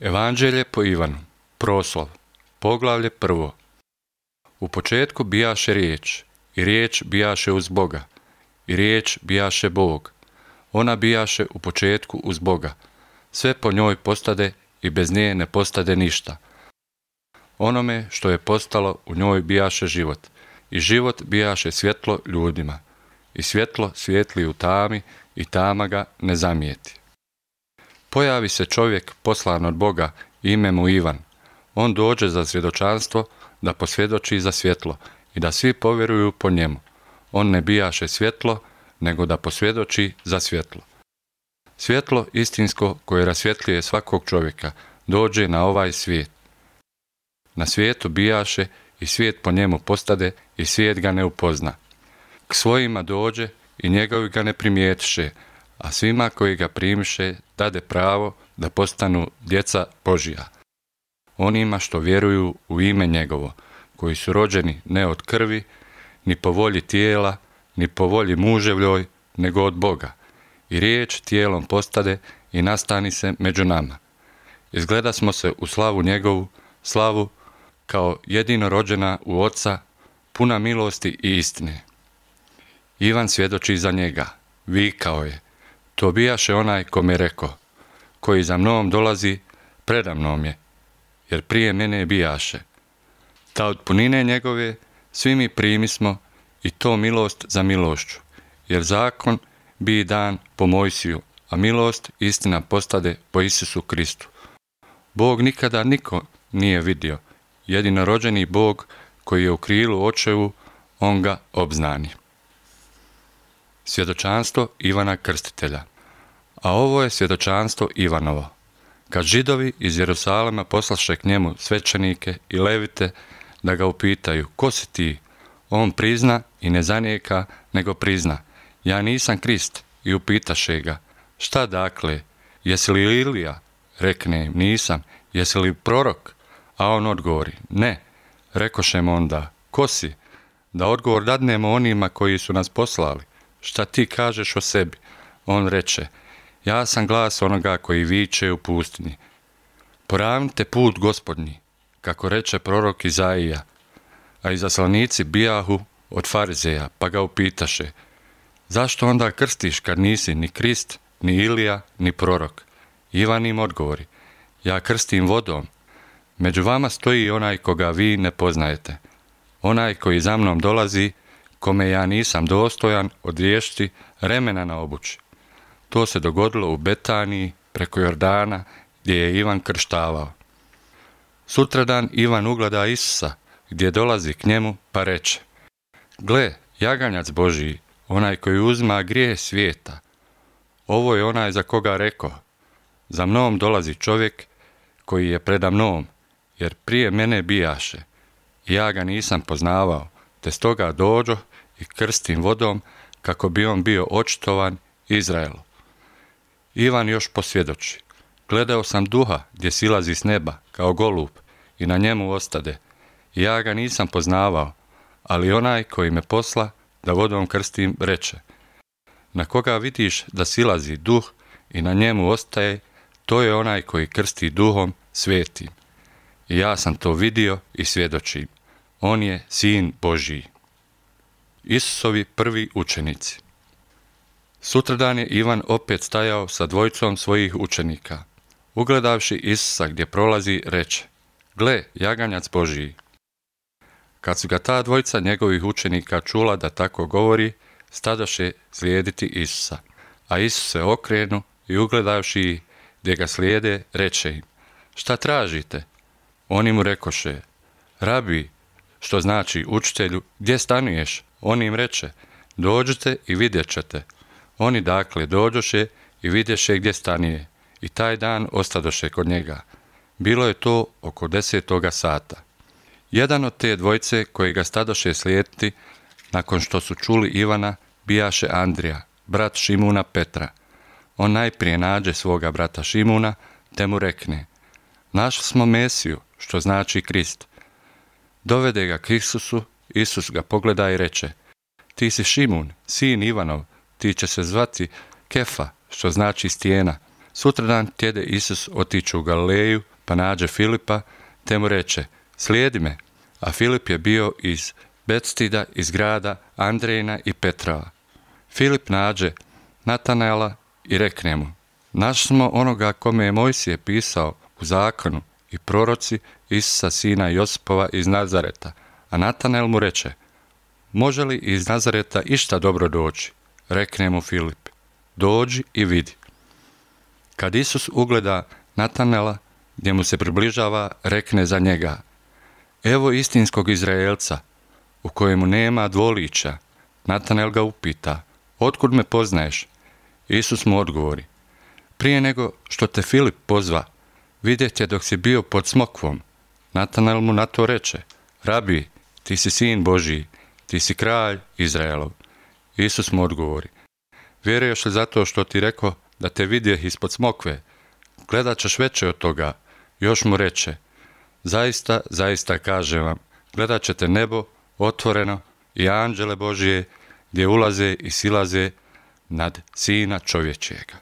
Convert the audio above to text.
Evanđelje po Ivanu, proslov, poglavlje 1. U početku bijaše riječ, i riječ bijaše uz Boga, i riječ bijaše Bog. Ona bijaše u početku uz Boga. Sve po njoj postade i bez nje ne postade ništa. Onome što je postalo u njoj bijaše život, i život bijaše svjetlo ljudima. I svjetlo svijetli u tami, i tama ga ne zamijeti. Pojavi se čovjek poslan od Boga, ime mu Ivan. On dođe za svjedočanstvo, da posvjedoči za svjetlo i da svi povjeruju po njemu. On ne bijaše svjetlo, nego da posvjedoči za svjetlo. Svjetlo istinsko koje rasvjetljuje svakog čovjeka dođe na ovaj svijet. Na svijetu bijaše i svijet po njemu postade i svijet ga ne upozna. K svojima dođe i njegovi ga ne primijetiše, a svima koji ga primiše dade pravo da postanu djeca Božija. Onima što vjeruju u ime njegovo, koji su rođeni ne od krvi, ni po volji tijela, ni po volji muževljoj, nego od Boga. I riječ tijelom postade i nastani se među nama. Izgleda smo se u slavu njegovu, slavu kao jedino rođena u Oca, puna milosti i istine. Ivan svjedoči za njega, vikao je: to bijaše onaj kome rekao, koji za mnom dolazi, preda mnom je, jer prije mene bijaše. Ta od punine njegove svi mi primismo, i to milost za milošću, jer zakon bi dan po Mojsiju, a milost istina postade po Isusu Kristu. Bog nikada niko nije vidio, jedinorođeni Bog koji je u krilu očevu, on ga obznani. Svjedočanstvo Ivana Krstitelja. A ovo je svjedočanstvo Ivanovo. Kad Židovi iz Jerusalema poslaše k njemu svećenike i levite da ga upitaju: ko si ti? On prizna i ne zanijeka, nego prizna: ja nisam Krist. I upitaše ga: šta dakle? Jesi li Ilija? Rekne im: nisam. Jesi li prorok? A on odgovori: ne. Rekoše mu onda: ko si? Da odgovor dadnemo onima koji su nas poslali. Šta ti kažeš o sebi? On reče: ja sam glas onoga koji viče u pustinji: poravnite put Gospodnji, kako reče prorok Izaija. A izaslanici bijahu od farizeja, pa ga upitaše: zašto onda krstiš kad nisi ni Krist, ni Ilija, ni prorok? Ivan im odgovori: ja krstim vodom. Među vama stoji onaj koga vi ne poznajete, onaj koji za mnom dolazi, kome ja nisam dostojan odriješiti remena na obući. To se dogodilo u Betaniji preko Jordana, gdje je Ivan krštavao. Sutradan Ivan ugleda Isusa, gdje dolazi k njemu, pa reče: gle, jaganjac Božiji, onaj koji uzima grijeh svijeta. Ovo je onaj za koga rekao: za mnom dolazi čovjek koji je preda mnom, jer prije mene bijaše. I ja ga nisam poznavao, te stoga dođoh i krstim vodom, kako bi on bio očitovan Izraelu. Ivan još posvjedoči: gledao sam duha gdje silazi s neba kao golub i na njemu ostade. I ja ga nisam poznavao, ali onaj koji me posla da vodom krstim reče: na koga vidiš da silazi duh i na njemu ostaje, to je onaj koji krsti duhom svetim. I ja sam to vidio i svjedočim. On je Sin Božiji. Isusovi prvi učenici. Sutradan je Ivan opet stajao sa dvojicom svojih učenika. Ugledavši Isusa gdje prolazi, reče: gle, jaganjac Božiji. Kad su ga ta dvojica njegovih učenika čula da tako govori, stadoše slijediti Isusa. A Isus se okrenu i ugledavši ih gdje ga slijede, reče im: šta tražite? Oni mu rekoše: rabi, što znači učitelju, gdje stanuješ? On im reče: dođite i vidjet ćete. Oni dakle dođoše i vidješe gdje stanije, i taj dan ostadoše kod njega. Bilo je to oko 10. sata. Jedan od te dvojce koji ga stadoše slijediti, nakon što su čuli Ivana, bijaše Andrija, brat Šimuna Petra. On najprije nađe svoga brata Šimuna, te mu rekne: našli smo Mesiju, što znači Krist. Dovede ga k Isusu, Isus ga pogleda i reče: ti si Šimun, sin Ivanov, ti će se zvati Kefa, što znači stijena. Sutradan tjede Isus otići u Galileju, pa nađe Filipa, te mu reče, slijedi me. A Filip je bio iz Betstida, iz grada Andrejina i Petrova. Filip nađe Natanaela i rekne mu, našli smo onoga kome je Mojsije pisao u zakonu i proroci, Isusa sina Josipova iz Nazareta. A Natanael mu reče, može li iz Nazareta išta dobro doći? Rekne mu Filip, dođi i vidi. Kad Isus ugleda Natanaela, gdje mu se približava, rekne za njega, evo istinskog Izraelca, u kojemu nema dvoličja. Natanael ga upita, otkud me poznaješ? Isus mu odgovori, prije nego što te Filip pozva, vidjet je dok si bio pod smokvom. Natanael mu na to reče, rabi, ti si sin Božiji, ti si kralj Izraelov. Isus mu odgovori, vjeruješ li zato što ti reko da te vidjeh ispod smokve? Gledat ćeš veće od toga. Još mu reče, zaista, zaista kažem vam, gledat ćete nebo otvoreno i anđele Božije gdje ulaze i silaze nad Sina čovječijega.